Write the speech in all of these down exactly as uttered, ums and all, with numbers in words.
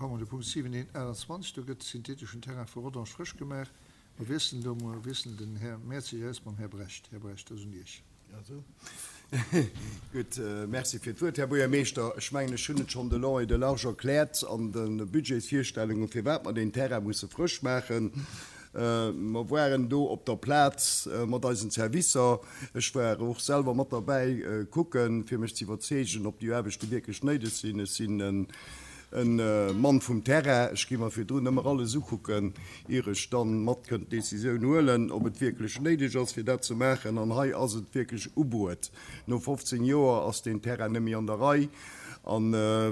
komme mer de Punkt siwen eent aachtundzwanzeg. Do gëtt de syntheteschen Terrain vu Rodange frësch gemaach. Mer wiesselen do emol, wiesselen den Här Mertzig aus mam Här Brecht. Här Brecht, dat ass un Iech. Gutt, Merci fir d'Wuert, Här Buergermeeschter. Ech mengen, ech hunn et schonn de long et de large erkläert an de Budgetsvirstellungen, firwat mer deen Terrain musse frësch maachen. Mer waren do op der Plaz mat eisen Servicer. Ech war och selwer mat derbäi kucken, fir mech ze iwwerzeegen, ob déi Aarbechte wierklech néideg sinn. Ech sinn e Mann vum Terrain. Ech gi mer virdrun ëmmer alles ukucken, ier ech dann mat kënnt d'Decisioun huelen, ob et wierklech néideg ass, fir dat ze maachen. An hei ass et wierklech ubruet. No fofzéng Joer ass deen Terrain net méi an der Rei. A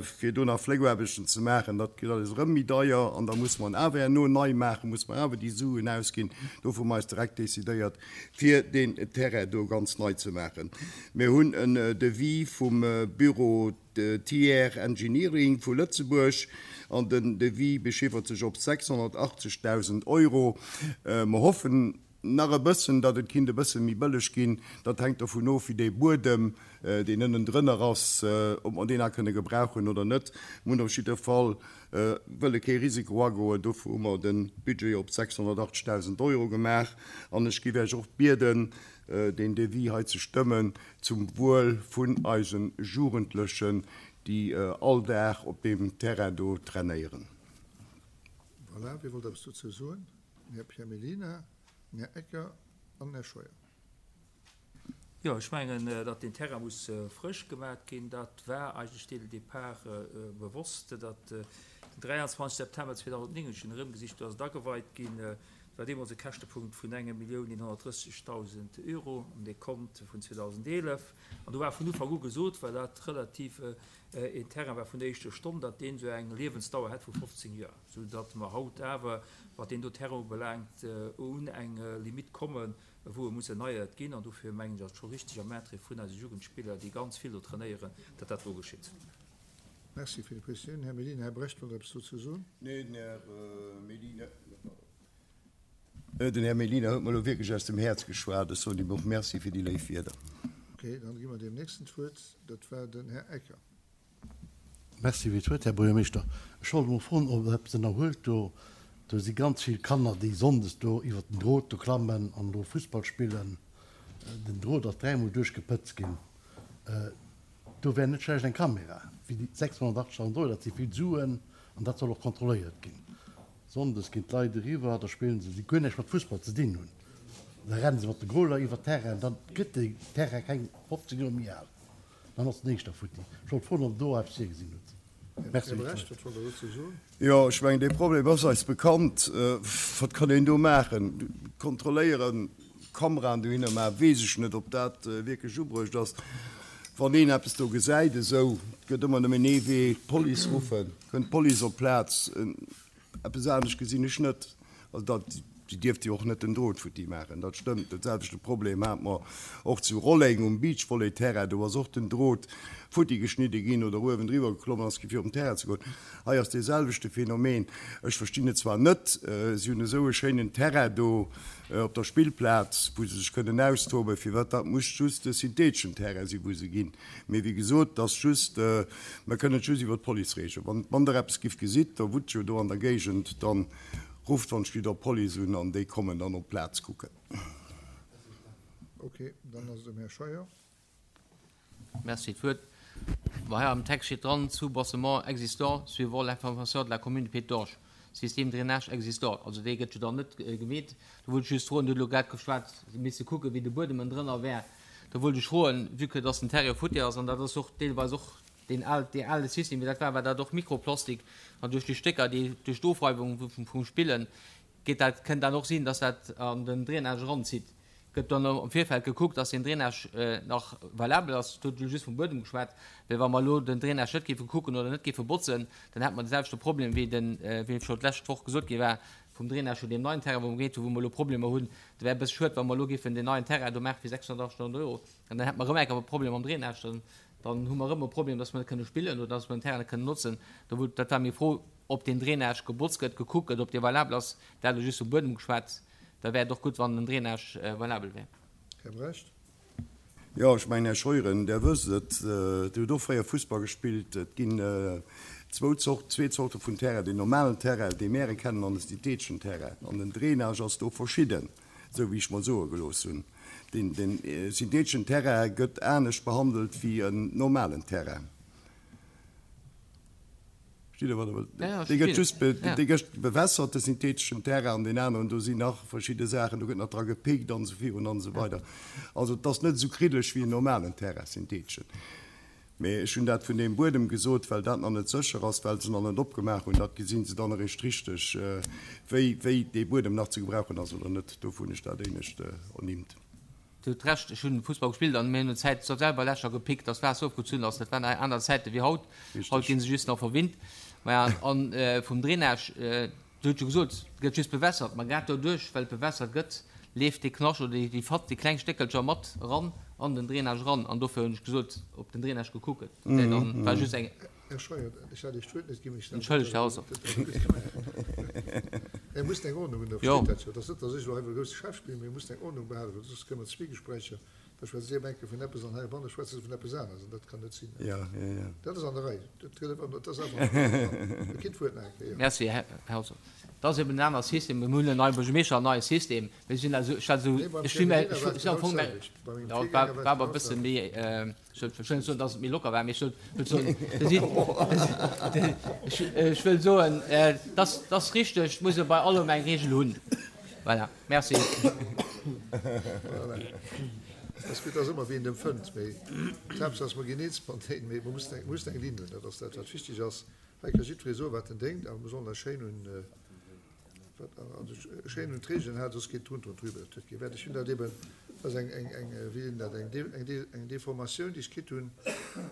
fir do nach Fléckaarbechten ze maachen, dat gëtt alles erëm méi deier. An da musse mer en awer herno nei maachen, musse mer awer déi Suen ausginn. Dofir hu mer eis direkt decidéiert, fir deen Terrain do ganz nei ze maachen. Mir hunn en Devis vum Büro Thiers Engineering vu Lëtzebuerg an den Devis bechiffert sech op sechshonnertachtzegdausend Euro. Mer hoffen nach e bëssen, datt et kinnt e bësse méi bëlleg ginn. Dat hänkt dovun of, wéi dee Buedem, deen ënnendrënner ass, ob mer deen nach kënne gebrauchen oder net. Mir hunn op jidde Fall wëlle kee Risiko agoen. Dofir hu mer de Budget op sechshonnertachtzegdausend Euro gemaach. An ech géif Iech och bieden, deen Devis hei ze stëmmen, zum Wuel vun eise Jugendlechen, déi all Dag op deem Terrain do trainéieren. Voilà, wie wollt eppes dozou soen? Den Här Pierre Mellina, den Här Ecker an den Här Scheuer. Jo, ech mengen, datt deen Terrain muss frësch gemaat ginn. Dat war eigentlech dès le départ bewosst, datt den dräianzwanzeg September zweedausendnéng, ech hunn erëmgesicht, do ass et ageweit ginn, et war deemools e Käschtepunkt vun enger Millioun eenhonnertdrëssigdausend Euro um Dekont vun zweedausendeelef. An do war vun Ufank u gesot, well dat relativ een Terrain war vun der éischter Stonn, datt deen esou eng Liewensdauer hätt vu fofzéng Joer, esou datt mer haut awer, wat deen do Terrain ubelaangt, un eng Limite kommen, wou e muss erneiert ginn. An dofir mengen ech, ass et scho richtig am Intérêt vun eise Jugendspiller, déi ganz vill do trainéieren, datt dat do geschitt. Merci fir déi Prezisioun, Här Mellina. Här Brecht wollt eppes dozou soen. Nee, den Här Mellina, den Här Mellina huet mer elo wierklech aus dem Häerz geschwat. Ech soen him och Merci fir déi léif Wierder. Okay, dann gi mer deem Nächsten d'Wuert. Dat war den Här Ecker. Merci fir d'Wuert, Här Buergermeeschter. Ech wollt emol froen, ob Der eppes ënnerhuelt do. Do si ganz vill Kanner, déi sonndes do iwwer den Drot do klammen an do Fussball spillen. Den Drot ass dräimol duerchgepëtzt ginn. Do wär net schlecht eng Kamera. Fir déi sechshonnertachtzigtausend Euro, dat si vill Suen an dat soll och kontrolléiert ginn. Sonndes ginn d'Leit eriwwer, da spillen se, déi guer näischt mat Fussball ze dinn hunn. Da renne se mat de Goaler iwwer d'Terrain, dann gëtt de Terrain keng fofzéng Joer méi al. Dann ass den éischter futti. Ech wollt froen, ob Der do eppes virgesinn hutt. Merci Här Brecht, wat wollt Der dozou soen? Jo, ech mengen, dee Problem ass eis bekannt. Wat kann een do maachen? Kontrolléieren, Kameraen dohinner maachen, weess ech net, ob dat wierklech ubruecht ass. Wann een eppes do gesäit esou, et gëtt ëmmer nëmmen ee Wee, d'Police ruffen, kënnt d'Police op d'Plaz. Eppes anescht gesinn ech net. Also dat, déi dierfte jo och net den Drot futti maachen, dat stëmmt. Dat selwechte Problem hate mer och zu Rolleng um Beachvolley-Terrain. Do ass och den Drot futti geschnidde ginn oder uewendriwwer geklommen ass gi fir op den Terrain ze goen. Hei ass dee selwechte Phänomen. Ech verstinn et zwar net, si hunn esou e schéinen Terrain do op der Spillplaz, wou se sech kënnen austoben, firwat dat muss just e syntheteschen Terrain sinn, wou se ginn. Mee wéi gesot, et ass just, mer kënnen et just iwwer d'Police reegelen. Wann, wann Der eppes giff gesitt, da wunnt jo do an der Géigend, dann rufft wann d'Schlitt op d'Police un an déi kommen dann op d'Plaz kucken. Ok, dann ass et dem Här Scheuer. Merci fir d'Wuert. Bon, hei am Text steet dran, Soubassement existant suivant l'information de la commune de Pétange, système drainage existant. Also dee gëtt jo dann net gemeet. Do wollt ech just froen, Dir hutt elo grad geschwat, se misste kucken, wéi de Buedem ënnendrënner wär. Do wollt ech froen, vue que dass den Terrain futti ass, an dat ass och deelweis och deen al, dee ale System, wéi dat war, war dat och Mikroplastik, an duerch déi Stécker, déi duerch d'Ofreiwung vum Spillen, geet dat, kënnt dat och sinn, dass dat an den Drainage eranzitt. Gëtt dann am Virfeld gekuckt, dass deen Drainage nach valabel ass? Do hutt Dir just vum Buedem geschwat, well wa mer elo den Drainage net géife kucken oder net géife botzen, dann hätte mer de selwechte Problem, wéi den, wéi scho d'lescht Woch gesot gi war, vum Drainage vun deem neien Terrain, wou mer geet hunn, wou mer elo Problemer hunn. Dat wär e bësse schued, wa mer elo géifen deen neien Terrain do maache fir sechshonnertachtzigtausend Euro, an dann hätte mer erëm eng Kéier e Problem am Drainage. Dann, dann hu mer erëm e Problem, dass mer net kënne spillen oder dass mer den Terrain net kënnen notzen. Do wou, dat war meng Fro, ob deen Drainage gebotzt gëtt, gekuckt gëtt, ob dee valabel ass. Dat elo just vum Buedem geschwat. Da wär et och gutt, wann den Drainage valabel wär. Här Brecht. Jo, ech mengen, Här Scheuren, Der wësst et, Dir hutt och fréier Fussball gespillt, et ginn zwou Zort, zwee Zorte vun Terrain, den normalen Terrain, dee mir kennen, an den syntheteschen Terrain. An den Drainage ass do verschidden, sou wéi ech mer soe gelooss hunn. Den, den äh, syntheteschen Terrain gëtt anescht behandelt wéi en normalen Terrain. Versteet Der, wat ech wëll? Ja, ja, Dee gëtt just be, ja. dee gëtt bewässert, de syntheteschen Terrain, an den aneren, do sinn nach verschidde Saachen, do gëtt nach dra gepickt an esou virun an esou weider. Also, et ass net esou kriddeleg wéi en normalen Terrain, syntheteschen. Mee ech hunn dat vun deem Buedem gesot, well dat nach net sécher ass, well se nach net opgemaach hunn. Dat gesinn se dann eréischt richteg, wéi, wéi dee Buedem nach ze gebrauchen ass oder net. Dofir hunn ech dat éinescht ernimmt. Dir hutt Recht, ech hunn Fussball gespillt an mir hunn Zäit selwer Lächer gepickt, dass d'Waasser ofgezunn ass. Dat waren aner Zäite wéi haut. Richteg. Haut ginn se just nach verwinnt. Maja, an äh, vum Drainage, äh, Dir hutt jo gesot, et gëtt just bewässert, ma grad doduerch, well et bewässert gëtt, leeft dee Knascht oder déi, déi Fatt, déi kleng Stéckelcher mat eran an den Drainage eran. An dofir hunn ech gesot, op den Drainage gekuckt gëtt. Dat dann war just eng. Här Scheuer, ech hat Iech d'Wuert net ginn, mee ech Entschëllegt, Här Hauser. Mir mussen eng Ordnung hunn, da Jo. versteet dat jo. Dat ass net, datt ech elo hei wëll grousse Chef spillen, mee mir mussen eng Ordnung behalen, well soss kënne mer Zwiegespräicher, da schwätzt Dir eng Kéier vun eppes an heibanne schwätze se vun eppes aneres an dat kann net sinn. Ja, ja, ja. Dat ass an der Rei. Dat gëtt einfach, dat ass einfach an der Rei. Dir kritt d'Wuert nach eng Kéier, jo. Merci, Här Hauser. Dat ass eben en aner System. Mir hunn en neie Buergermeeschter, en neie System. Mir sinn also, ech also, Nee, beim ech si mir, Pierre ech Medina war et si am genau Fong mä, d'selwecht. Bei mengem ja, war, Virgänger war et war awer genau e bësse d'selwecht. méi, äh, ech wëll wëll net soen, dass et méi locker war, mee ech wëll wëll soen, dat si, ech, ech wëll soen, äh, das, das ass richteg, muss e bei allem eng Regel hunn. Voilà, merci. Voilà. Das gëtt ass ëmmer wéi een dem fënnt, mee d'Haaptsaach ass, mer ginn eens mateneen, mee mer mussen eng, mussen eng Linn hunn, dat ass dat, wat wichteg ass. Hei ka jiddweree soen, wat en denkt, awer mer sollen eis schéin un, äh, wat, also schéin un d'Regeln halen, soss geet drunter und drüber. Dat huet kee Wäert. Ech hunn dat eben, dat ass eng, eng, eng, wéi nennen dat, eng, eng, eng Deformatioun, déi ech kritt hunn,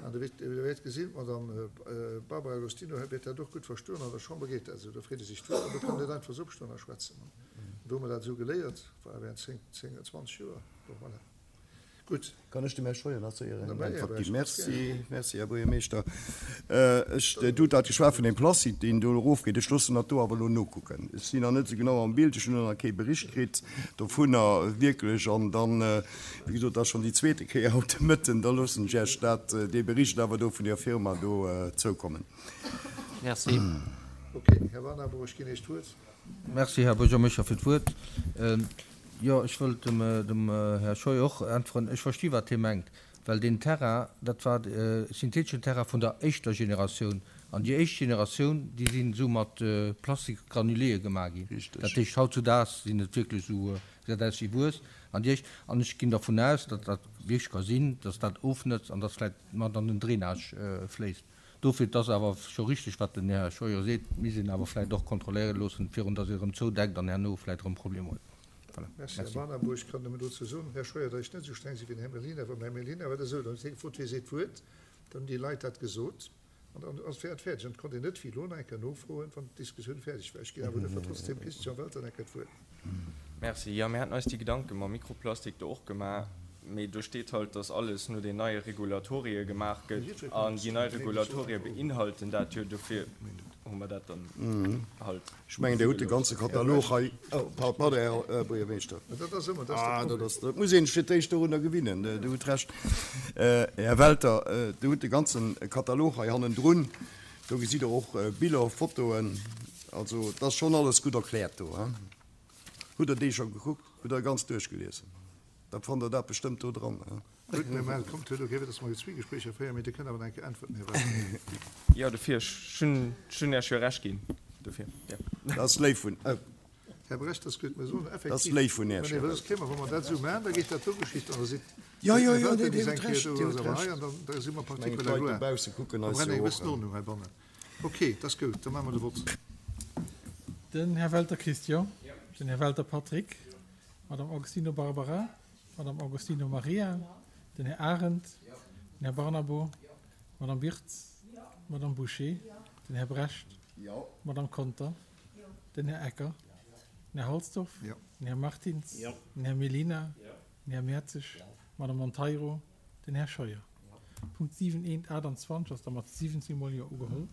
an der wäert, der wäert gesinn, d'Madame äh, Barbara Agostino wäert dat och gutt verstoen, an der Chamber geet dat esou, da freet ee sech d'Wuert, an do kann een net einfach esou opstoen a schwätzen. Do hu mer dat esou geléiert, war während zéng, zéng, zwanzeg Joer. Bon, voilà. Gutt. Kann ech dem Här Scheuer nach séier eng Na, Äntwert Här ginn? Brecht, Merci, merci, Här Buergermeeschter. Äh, ech, du hutt dat geschwat vun dem Plastik, deen do erofgeet. Ech loossen dat do awer elo nokucken. Ech sinn nach net esou genau am Bild, ech hunn nach kee Bericht kritt dovunner wierklech. An dann, äh, wéi gesot, dat ass schonn déi zweete Kéier haut de Mëtten, da loossen ech Iech dat, äh, dee Bericht awer do vun der Firma do, äh, zoukommen. Merci. Okay, Här Warnabo, ech ginn Iech d'Wuert. Merci, Här Buergermeeschter, fir d'Wuert. Ähm, jo, ech wëllt dem, äh, dem äh, Här Scheuer och äntweren. Ech versti wat hie mengt, well den Terrain, dat war äh, syntheteschen Terrain vun der éischter Generatioun. An déi éischt Generatioun, déi sinn esou mat äh, Plastikgranuléë gemaach ginn. Richteg. Dat heescht, hautzudags sinn et wierklech esou, äh, gesäit aus wéi Wuess. An déi éischt, an ech ginn dervun aus, datt dat wierklech ka sinn, datt dat ofnëtzt an datt vläicht mat an den Drainage äh, fléisst. Dofir, dat ass awer scho richteg, wat den Här Scheuer seet, misst een awer vläicht och kontrolléiere loossen, virun datt ee erëm zoudeckt an herno vläicht erëm Problemer huet. Voilà. Merci, Här Merci. Warnabo. Ech kann nëmmen dozou soen, Här Scheuer, datt ech net esou streng si wéi den Här Mellina, well beim Här Mellina war dat esou, dann huet hie gefrot, wie seet d'Wuert, dann hunn déi Leit dat gesot an dann ass et fäerdeg. An et konnt een net wéi elo nach eng Kéier nofroen, wann d'Diskussioun fäerdeg war. Ech ginn awer duerfir trotzdem Christian Welter nach eng Kéier d'Wuert. Merci. Jo, mir haten eis déi Gedanke mam Mikroplastik do och gemaach, mee do steet halt, dass alles no den neie Regulatorie gemaach gëtt an déi nei Regulatorie beinhalten dat jo, dofir hu mer dat dann halt. Ech mengen, Dir hutt de ganze Katalog hei. Oh, pardon, Här Buergermeeschter. Dat ass ëmmer, dat ass de Ah, dat Problem. ass, dat muss een sech fir d'éischt dorunner gewinnen. Dir hutt Recht. Äh, Här Welter, äh, Dir hutt de ganzen Katalog hei hannendrun. Do gesitt Der och äh, Biller, Fotoen. Also, dat ass schonn alles gutt erkläert do. Hein? Hutt Der déi scho gekuckt? Hutt Der ganz duerchgeliesen? Da fannt Der dat bestëmmt do dran. Hein? Gutt, mir maachen, kommt, huet okay, dass mer Zwiegespréicher féieren, mee Dir kënnt awer nach eng Kéier äntwerten, Här Welter. Jo, dofir, ech hunn, ech hunn Iech jo Recht ginn. Dofir, ja. Dat ass léif vun, oh. Här Brecht, dat ass gutt, mir soen Dat ass effektiv, léif vun Iech, nee, Här well soss Welter. kéime mer, wa mer dat esou maachen, da geet dat do Geschicht an da sidd Jo, jo, Här jo, Welter nee, bis Dir hutt eng Kéier Recht, do, Dir ass hutt awer hei Recht. an dann, da si mer Ech mengen, partie d'Leit la gloire. dobausse kucken Mer eis brennen jo eng och bëssen an. Ordnung heibannen. Okay, dat ass gutt, da maache mer de Vott. Den Här Welter Christian, den Här Welter Patrick, Madame Agostino Barbara, Madame Agostino Maria, den Här Arendt, den Här Barnabo, Madame Wirtz, Madame Boucher, den Här Brecht, Madame Conter, den Här Ecker, den Här Halsdorf, Ja. den Här Martins, Ja. den Här Mellina, den Här Mertzig, Madame Monteiro, den Här Scheuer. Punkt siwen eent achtundzwanzeg ass da mat siwwenzéng Mol Jo ugeholl.